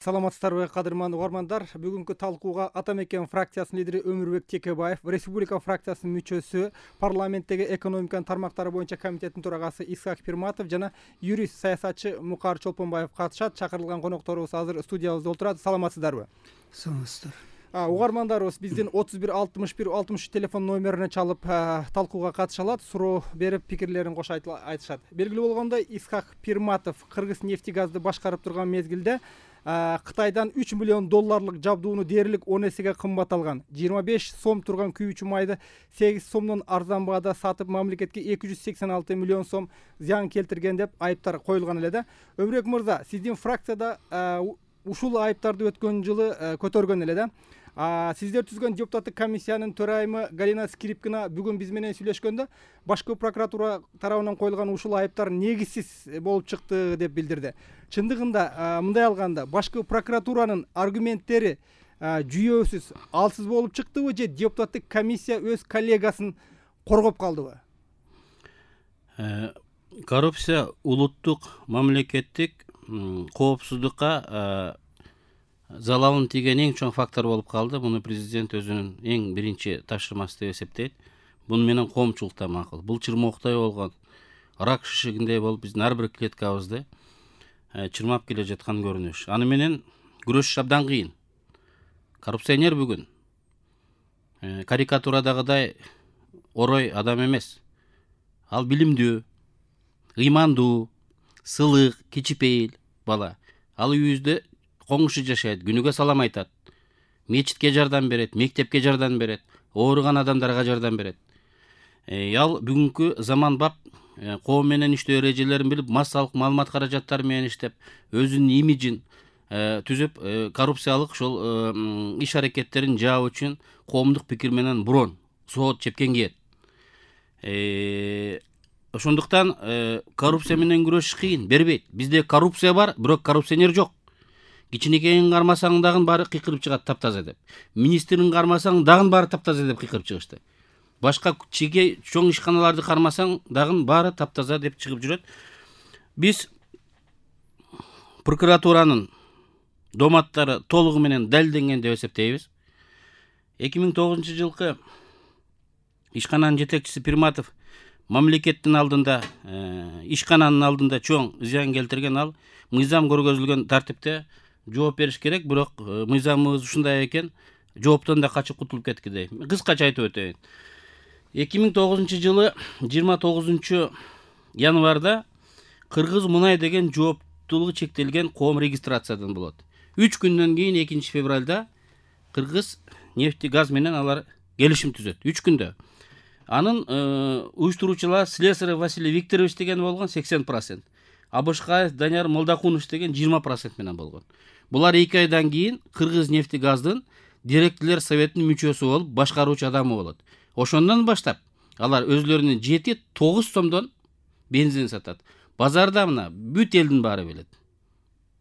Саламатсыздарбы, кадырман угармандар. Бүгүнкү талкууга Ата мекен фракциясынын лидери Өмүрбек Текебаев, Республика фракциясынын мүчөсү, парламенттеги экономиканын тармактары боюнча комитеттин төрагасы Исхак Пирматов жана юрист саясатчы Мукар Чолпонбаев катышат. Чакырылган конокторубуз азыр студиябызда отурат. Саламатсыздарбы? Саламатсыздар. Угармандарыбыз биздин 31 61 63 телефон номерине чалып талкууга катыша алат, суроо берип пикирлерин кошо айтышат. Белгилүү болгондой, Исхак Пирматов Кыргыз нефтегазды башкарып турган мезгилде Кытайдан 3 миллион долларлык жабдууну дээрлик 10 эсеге кымбат алган. 25 сом турган күйүүчү майды 8 сомдон арзан баада сатып, мамлекетке 286 миллион сом зыян келтирген деп айыптар коюлган эле да. Өмүрбек мырза, сиздин фракцияда ушул айыптарды өткөн жылы көтөргөн эле да. Сиздер түзгөн депутаттык комиссиянын төрайымы Галина Скрипкина бүгүн биз менен сүйлөшкөндө башкы прокуратура тарабынан коюлган ушул айыптар негизсиз болуп чыкты деп билдирди. Чындыгында мындай алганда башкы прокуратуранын аргументтери жүйөсүз, алсыз болуп чыктыбы же депутаттык комиссия өз коллегасын коргоп калдыбы? Коррупция улуттук мамлекеттик коопсуздукка залалын тийген эң чоң фактор болуп калды. Муну президент өзүнүн эң биринчи тапшырмасы деп эсептейт. Буну менен коомчулук да макул. Бул чырмооктой болгон рак шишигиндей болуп биздин ар бир клеткабызды чырмап келе жаткан көрүнүш. Аны менен күрөшүш абдан кыйын. Коррупционер бүгүн карикатурадагыдай орой адам эмес. Ал билимдүү, ыймандуу, сылык, кичипейил бала. Ал үйүбүздө коңушу жашайт, күнүгө салам айтат, мечитке жардам берет, мектепке жардам берет, ооруган адамдарга жардам берет. Ал бүгүнкү заманбап коом менен иштөө эрежелерин билип, массалык маалымат каражаттары менен иштеп, өзүнүн имиджин түзүп, коррупциялык ошол иш аракеттерин жаап үчүн коомдук пикир менен бурон соот чепкен кийет. Ошондуктан коррупция менен күрөшүш кыйын, бербейт. Бизде коррупция бар, бирок коррупционер жок. Кичинекейин кармасаң дагы баары кыйкырып чыгат таптаза деп. Министрин кармасаң дагы баары таптаза деп кыйкырып чыгышты. Башка чеке чоң ишканаларды кармасаң дагы баары таптаза деп чыгып жүрөт. Биз прокуратуранын доматтары толугу менен далилденген деп эсептейбиз. 2009-жылкы ишкананын жетекчиси Пирматов мамлекеттин алдында, ишкананын алдында чоң зыян келтирген. Ал мыйзам көргөзүлгөн тартипте жооп бериш керек, бирок мыйзамыбыз ушундай экен, жооптон да качып кутулуп кетти дейм. Кыскача айтып өтөйүн. 2009-жылы 29 январда Кыргыз мунай деген жооптуулугу чектелген коом регистрациядан болот. 3 күндөн кийин 2 февралда Кыргыз нефтегаз менен алар келишим түзөт. 3 күндө. Анын уюштуруучулар Слесарь Василий Викторович деген болгон 80%. Абышкаев Данияр Молдокунович деген 20% менен болгон. Булар 2 айдан кийин Кыргыз нефтегаздын директорлор советинин мүчөсү болуп, башкаруучу адамы болот. Ошондон баштап алар өзлөрүнүн 7-9 сомдон бензин сатат. Базарда мына бүт элдин баары билет.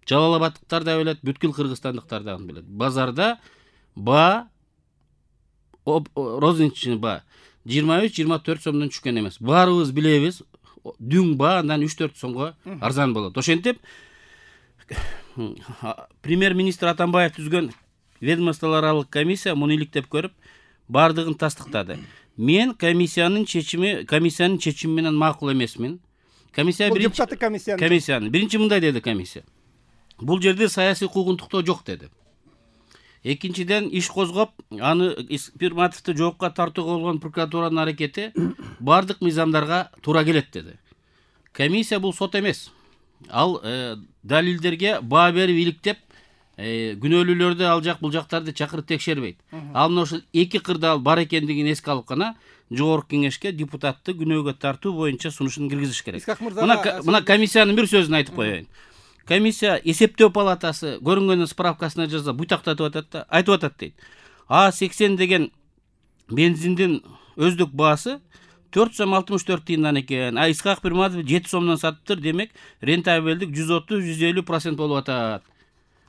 Жалал-Абадтыктар да билет, бүткүл кыргызстандыктар да билет. Базарда ба розничный ба 23-24 сомдон түшкөн эмес. Баарыбыз билебиз, дүң ба андан 3-4 сомго арзан болот. Ошентип премьер-министр Атамбаев түзгөн ведомстволор аралык комиссия муну иликтеп көрүп, бардыгын тастыктады. Мен комиссиянын чечими менен макул эмесмин. Комиссия комиссиянын биринчи мындай деди комиссия. Бул жерде саясий куугунтуктоо жок деди. Экинчиден иш козгоп, аны Пирматовду жоопка тартууга болгон прокуратуранын аракети бардык мыйзамдарга туура келет деди. Комиссия бул сот эмес. Ал далилдерге баа берип иликтеп, күнөөлүүлөрдү ал жак бул жактарды чакырып текшербейт. Ал мына ошол эки кырда ал бар экендигин эске алып гана жогорку кеңешке депутатты күнөөгө тартуу боюнча сунушун киргизиш керек. Мына комиссиянын бир сөзүн айтып коеюн. Комиссия эсептөө палатасы көрүнгөндүн справкасына жаза буйтактатып атат да, айтып атат дейт. А80 деген бензиндин өздүк баасы 4 сом 64 тыйындан экен. Исхак Пирматов 7 сомдон сатыптыр, демек рентабелдик 130-150% болуп атат.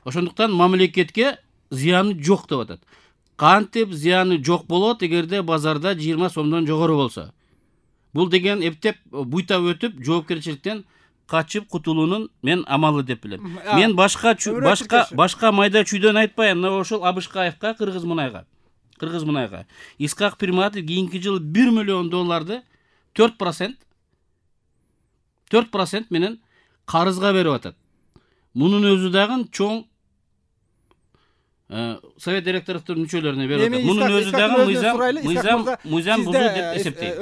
Ошондуктан мамлекетке зыяны жок деп атат. Кантип зыяны жок болот эгерде базарда 20 сомдон жогору болсо? Бул деген эптеп буйтап өтүп жоопкерчиликтен качып кутулуунун мен амалы деп билем. Мен башка майда чүйдөн айтпайм. Мына ошол Абышкаевка, Кыргыз Мунайга Исхак Пирматов кийинки жылы $1 миллион 4% менен карызга берип атат. Мунун өзү дагы чоң совет директорлордун мүчөлөрүнө берип атат. Мунун өзү дагы мыйзам бузуу деп эсептейм.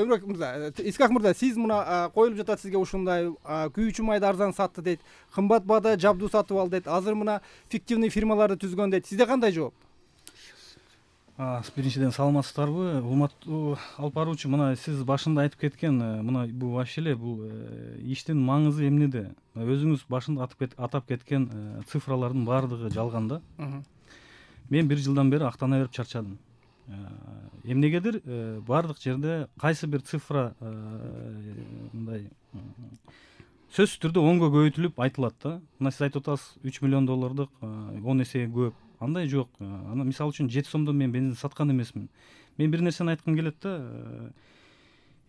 Исхак мырза, сиз мына коюлуп жатат сизге ушундай күйүүчү майды арзан сатты дейт, кымбат баада жабдуу сатып алды дейт, азыр мына фиктивный фирмаларды түзгөн дейт. Сизде кандай жооп? Биринчиден саламатсыздарбы, урматтуу алып баруучу. Мына сиз башында айтып кеткен, мына бул вообще эле бул иштин маңызы эмнеде? Өзүңүз башында атап кеткен цифралардын баардыгы жалган да. Мен 1 жылдан бери актана берип чарчадым. Эмнегедир баардык жерде кайсы бир цифра мындай сөзсүз түрдө 10го көбөйтүлүп айтылат да. Мына сиз айтып атасыз $3 миллион 10 эсеге көп. Андай жок. Ана мисалы үчүн 7 сомдон мен бензин саткан эмесмин. Мен бир нерсени айткым келет да.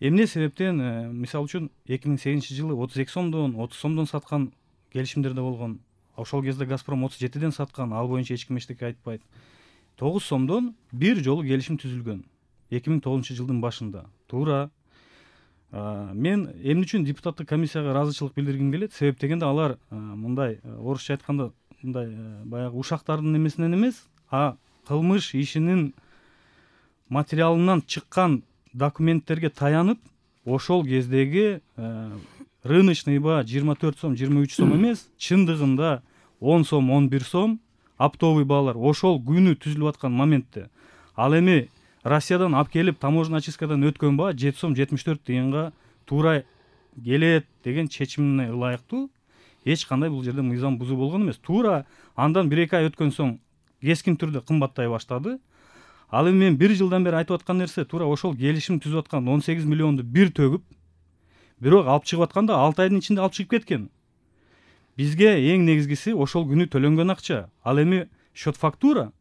Эмне себептен мисалы үчүн 2008-жылы 32 сомдон, 30 сомдон саткан келишимдер да болгон. Ошол кезде Газпром 37ден саткан, ал боюнча эч ким эчтеке айтпайт. 9 сомдон бир жолу келишим түзүлгөн. 2009-жылдын башында. Туура. Мен эмне үчүн депутаттык комиссияга ыраазычылык билдиргим келет? Себеп дегенде алар мындай орусча айтканда мындай баягы ушактардын эмесинен эмес, кылмыш ишинин материалынан чыккан документтерге таянып, ошол кездеги рыночный баа 24 сом, 23 сом эмес, чындыгында 10 сом, 11 сом оптовый баалар ошол күнү түзүлүп аткан моментте. Ал эми Россиядан алып келип таможенный очисткадан өткөн баа 7 сом 74 тыйынга туура келет деген чечимине ылайыктуу. Эч кандай бул жерде мыйзам бузуу болгон эмес. Туура андан 1-2 ай өткөн соң кескин түрдө кымбаттай баштады. Ал эми мен 1 жылдан бери айтып аткан нерсе туура ошол келишим түзүп аткан 18 миллионду бир төгүп, бирок алып чыгып атканда 6 айдын ичинде алып чыгып кеткен. Бизге эң негизгиси ошол күнү төлөнгөн акча. Ал эми счет фактура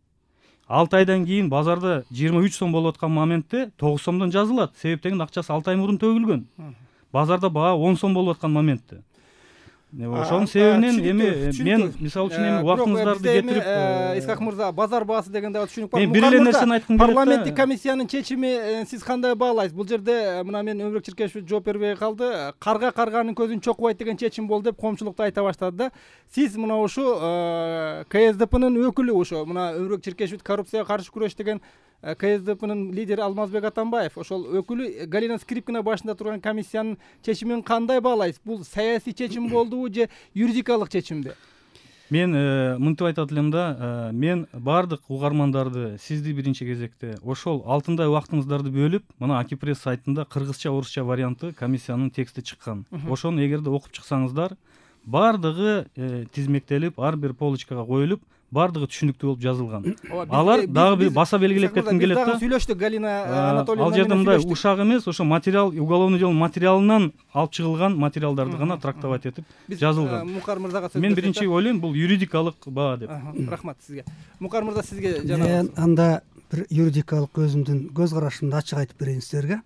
6 айдан кийин базарда 23 сом болуп аткан моментте 9 сомдон жазылат. Себеп деген акчасы 6 ай мурун төгүлгөн. Базарда баа 10 сом болуп аткан моментте. Ошонун себебинен эми мен мисалы үчүн эми убактыңыздарды кетирип Исхак мырза, базар баасы деген дагы түшүнүк бар. Мен бир эле нерсени айткым келет. Парламенттик комиссиянын чечими сиз кандай баалайсыз? Бул жерде мына мен Өмүрөк Чиркешев жооп бербей калды. Карга карганын көзүн чокубайт деген чечим болду деп коомчулукта айта баштады да. Сиз мына ушу КСДПнын өкүлү, ушу мына Өмүрөк Чиркешев коррупцияга каршы күрөш деген КСДПнын лидери Алмазбек Атамбаев, ошол өкүлү Галина Скрипкина башында турган комиссиянын чечимин кандай баалайсыз? Бул саясий чечим болдубу же юридикалык чечимби? Мен мынтип айтат элем да, мен баардык угармандарды, сизди биринчи кезекте ошол алтындай убактыңыздарды бөлүп, мына Акипресс сайтында кыргызча, орусча варианты комиссиянын тексти чыккан. Ошону эгерде окуп чыксаңыздар, баардыгы тизмектелип, ар бир полочкага коюлуп, баардыгы түшүнүктүү болуп жазылган. Алар дагы бир баса белгилеп кетким келет да. Сүйлөштүк Галина Анатольевна. Ал жерде мындай ушак эмес, ошо материал, уголовный дело материалынан алып чыгылган материалдарды гана трактовать этип жазылган. Мукар мырзага сөз. Мен биринчи ойлойм, бул юридикалык баа деп. Рахмат сизге. Мукар мырза, сизге мен анда бир юридикалык өзүмдүн көз карашымды ачык айтып берейин силерге.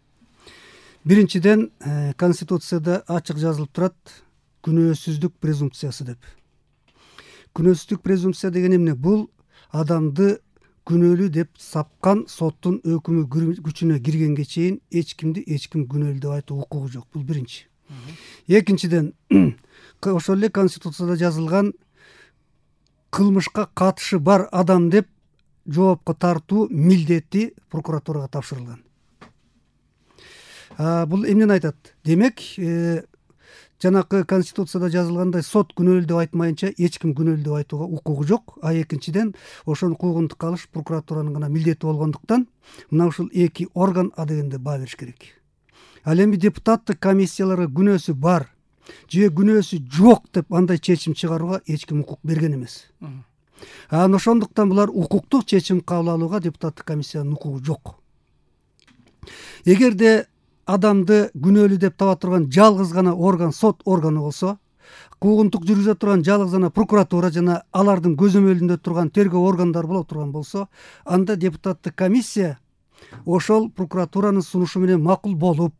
Биринчиден, Конституцияда ачык жазылып турат, күнөөсүздүк презумпциясы деп. Күнөөсүздүк презумпция деген эмне? Бул адамды күнөөлүү деп сапкан соттун өкүмү күчүнө киргенге чейин эч ким күнөөлүү деп айтуу укугу жок. Бул биринчи. Экинчиден, ошол эле Конституцияда жазылган кылмышка катышы бар адам деп жоопко тартуу милдети прокуратурага тапшырылган. Бул эмнени айтат? Демек, жанакы Конституцияда жазылгандай сот күнөөлүү деп айтмайынча эч ким күнөөлүү деп айтууга укугу жок. Экинчиден, ошону куугунтукка алыш прокуратуранын гана милдети болгондуктан мына ушул эки орган дегенде баа бериш керек. Ал эми депутаттык комиссияларга күнөөсү бар же күнөөсү жок деп андай чечим чыгарууга эч ким укук берген эмес. Ошондуктан булар укуктук чечим кабыл алууга депутаттык комиссиянын укугу жок. Эгерде адамды күнөөлүү деп таба турган жалгыз гана орган сот органы болсо, куугунтук жүргүзө турган жалгыз гана прокуратура жана алардын көзөмөлүндө турган тергөө органдары боло турган болсо, анда депутаттык комиссия ошол прокуратуранын сунушу менен макул болуп,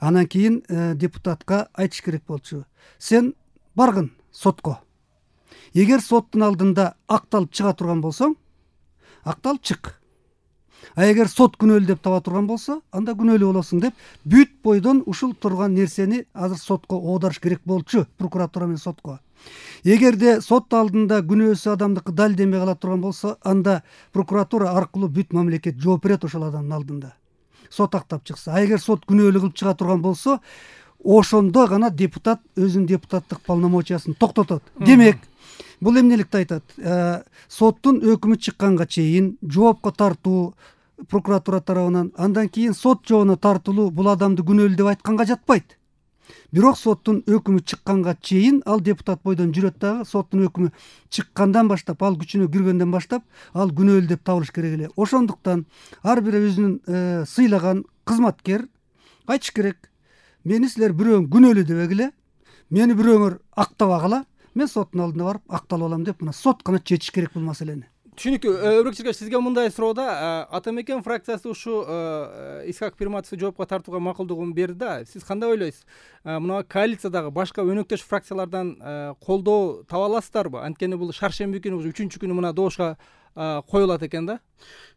Анан кийин депутатка айтыш керек болчу: сен баргын сотко. Эгер соттун алдында акталып чыга турган болсоң, акталып чык. А эгер сот күнөөлүү деп таба турган болсо, анда күнөөлүү болосуң деп бүт бойдон ушул турган нерсени азыр сотко оодарыш керек болчу, прокуратура менен сотко. Эгерде сот алдында күнөөсү адамдыкы далилденбей кала турган болсо, анда прокуратура аркылуу бүт мамлекет жооп берет ошол адамдын алдында. Сот актап чыкса. А эгер сот күнөөлүү кылып чыга турган болсо, ошондо гана депутат өзүнүн депутаттык полномочиясын токтотот. Демек, бул эмнеликти айтат? Соттун өкүмү чыкканга чейин жоопко тартуу прокуратура тарабынан, андан кийин сот жообуна тартылуу бул адамды күнөөлүү деп айтканга жатпайт. Бирок соттун өкүмү чыкканга чейин ал депутат бойдон жүрөт дагы, соттун өкүмү чыккандан баштап, ал күчүнө киргенден баштап, ал күнөөлүү деп табылыш керек эле. Ошондуктан ар бир өзүнүн сыйлаган кызматкер айтыш керек: мени силер бирөөң күнөөлүү дебегиле, мени бирөөңөр актабагыла, мен соттун алдына барып акталып алам деп, мына сот гана чечиш керек бул маселени. Түшүнүктүү. Өрөк Чиркеш, сизге мындай суроо Ата Мекен фракциясы ушу Исхак Пирматовду жоопко тартууга макулдугун берди да. Сиз кандай ойлойсуз? Мына коалициядагы башка өнөктөш фракциялардан колдоо таба аласыздарбы? Анткени бул шаршемби күнү, 3-күнү мына добушка коюлат экен да.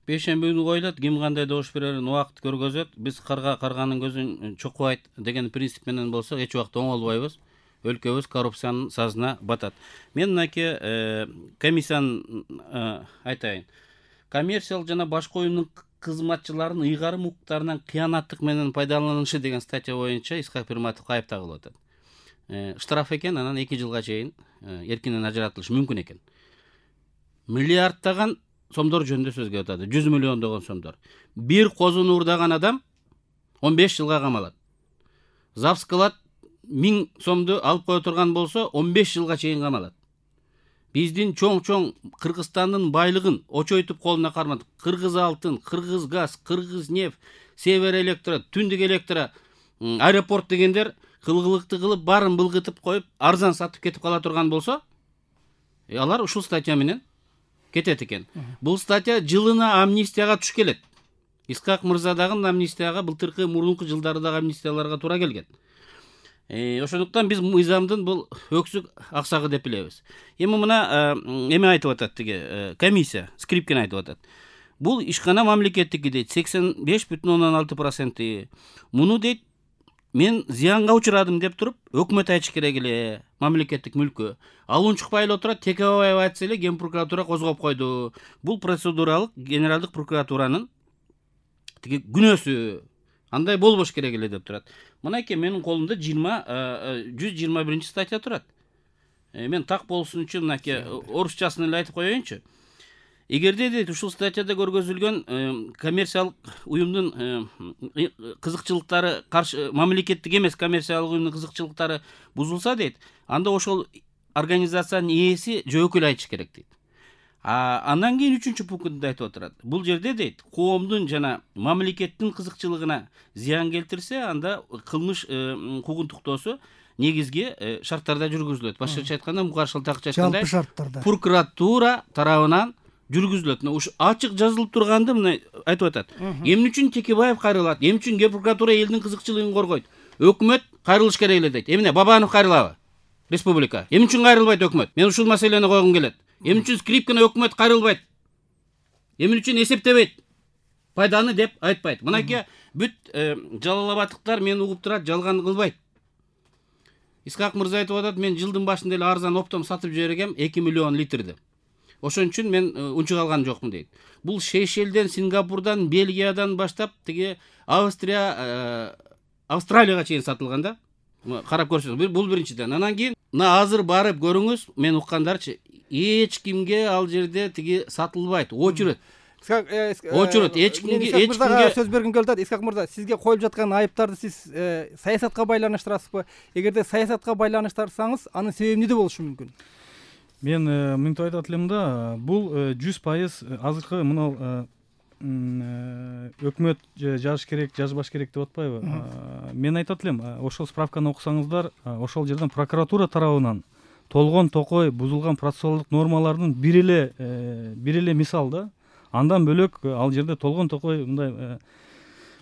Бейшемби күнү коюлат, ким кандай добуш берерин убакыт көргөзөт. Биз карга карганын көзүн чокубайт деген принцип менен болсок, эч убакта оңолбойбуз. Өлкөбүз коррупциянын сазына батат. Мен мынакей комиссиянын айтайын. Коммерциялык жана башка уюмдун кызматчыларынын ыйгарым укуктарынан кыянаттык менен пайдаланышы деген статья боюнча Исхак Пирматов кайып тагылып атат. Штраф экен, анан 2 жылга чейин эркинен ажыратылышы мүмкүн экен. Миллиардтаган сомдор жөнүндө сөз келип атат. 100 миллиондогон сомдор. Бир козуну урдаган адам 15 жылга камалат. Запс кылат, 1000 сомду алып кое турган болсо 15 жылга чейин камалат. Биздин чоң Кыргызстандын байлыгын очойтуп колуна кармадык. Кыргыз алтын, Кыргыз газ, Кыргыз нефть, Север электро, Түндүк электро, аэропорт дегендер кылгылыкты кылып, баарын былгытып коюп, арзан сатып кетип кала турган болсо, алар ушул статья менен кетет экен. Бул статья жылына амнистияга туш келет. Исхак мырза дагы амнистияга былтыркы мурунку жылдардагы амнистияларга туура келген. Ошондуктан биз мыйзамдын бул өксүк аксагы деп билебиз. Эми мына эме айтып атат тиги комиссия, Скрипкин айтып атат. Бул ишкана мамлекеттики дейт, 85,6%. Муну дейт, мен зыянга учурадым деп туруп, өкмөт айтыш керек эле, мамлекеттик мүлкү. Ал унчукпай эле отурат, Текебаев айтса эле Ген прокуратура козгоп койду. Бул процедуралык генералдык прокуратуранын тиги күнөөсү. Андай болбош керек эле деп турат. Мынакей менин колумда 121 статья турат. Мен так болсун үчүн мынакей орусчасын эле айтып коеюнчу. Эгерде дейт ушул статьяда көргөзүлгөн коммерциялык уюмдун кызыкчылыктары каршы, мамлекеттик эмес коммерциялык уюмдун кызыкчылыктары бузулса дейт, анда ошол организациянын ээси жөөкүл айтыш керек дейт. Андан кийин 3-чү пунктунда айтып отурат. Бул жерде дейт, коомдун жана мамлекеттин кызыкчылыгына зыян келтирсе, анда кылмыш куугунтуктоосу негизги шарттарда жүргүзүлөт. Башкача айтканда, мукаршылтакча айтканда, жалпы шарттарда прокуратура тарабынан жүргүзүлөт. Ушу ачык жазылып турганды мына айтып атат. Эмне үчүн Текебаев кайрылат? Эмне үчүн Ген прокуратура элдин кызыкчылыгын коргойт? Өкмөт кайрылыш керек эле дейт. Эмне Бабанов кайрылабы? Республика. Эмне үчүн кайрылбайт өкмөт? Мен ушул маселени койгум келет. Эмне үчүн Скрипкин өкмөт кайрылбайт? Эмне үчүн эсептебейт? Пайданы деп айтпайт. Мынакей бүт жалалабаттыктар мени угуп турат, жалган кылбайт. Исхак мырза айтып атат, мен жылдын башында эле арзан оптом сатып жибергем 2 миллион литрди. Ошон үчүн мен унчук алган жокмун дейт. Бул Сейшелден, Сингапурдан, Бельгиядан баштап тиги Австралияга чейин сатылган да. Карап көрсөңүз, бул биринчиден. Анан кийин мына азыр барып көрүңүз, мен уккандарчы, эч кимге ал жерде тиги сатылбайт, очередь. Очередь, эч кимге сөз бергим келип атат. Исхак мырза, сизге коюлуп жаткан айыптарды сиз саясатка байланыштырасызбы? Эгерде саясатка байланыштырсаңыз, анын себеби эмнеде болушу мүмкүн? Мен мынтип айтат элем да, бул 100% азыркы мына өкмөт жазыш керек, жазбаш керек деп атпайбы? Мен айтат элем, ошол справканы окусаңыздар, ошол жерден прокуратура тарабынан толгон токой бузулган процессуалдык нормалардын бир эле мисал да. Андан бөлөк ал жерде толгон токой мындай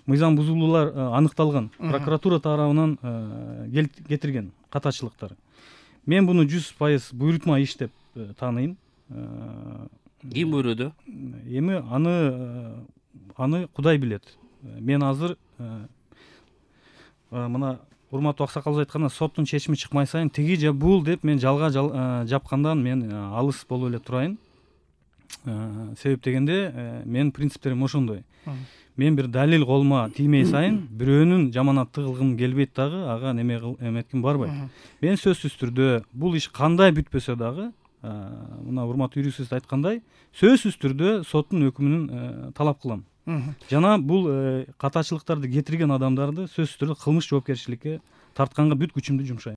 мыйзам бузулуулар аныкталган, прокуратура тарабынан кетирген катачылыктар. Мен буну 100% буйрутма иш деп тааныйм. Ким буйруду? Эми аны Кудай билет. Мен азыр мына урматтуу аксакалыбыз айткандай, соттун чечими чыкмай сайын тиги же бул деп мен жалга жапкандан мен алыс болуп эле турайын. Себеп дегенде менин принциптерим ошондой. Мен бир далил колума тиймей сайын бирөөнүн жаманатты кылгым келбейт дагы, ага эметким барбайт. Мен сөзсүз түрдө бул иш кандай бүтпөсө дагы, мына урматтуу юрист айткандай, сөзсүз түрдө соттун өкүмүн талап кылам. Жана бул катачылыктарды кетирген адамдарды сөзсүз түрдө кылмыш жоопкерчиликке тартканга бүт күчүмдү жумшайм.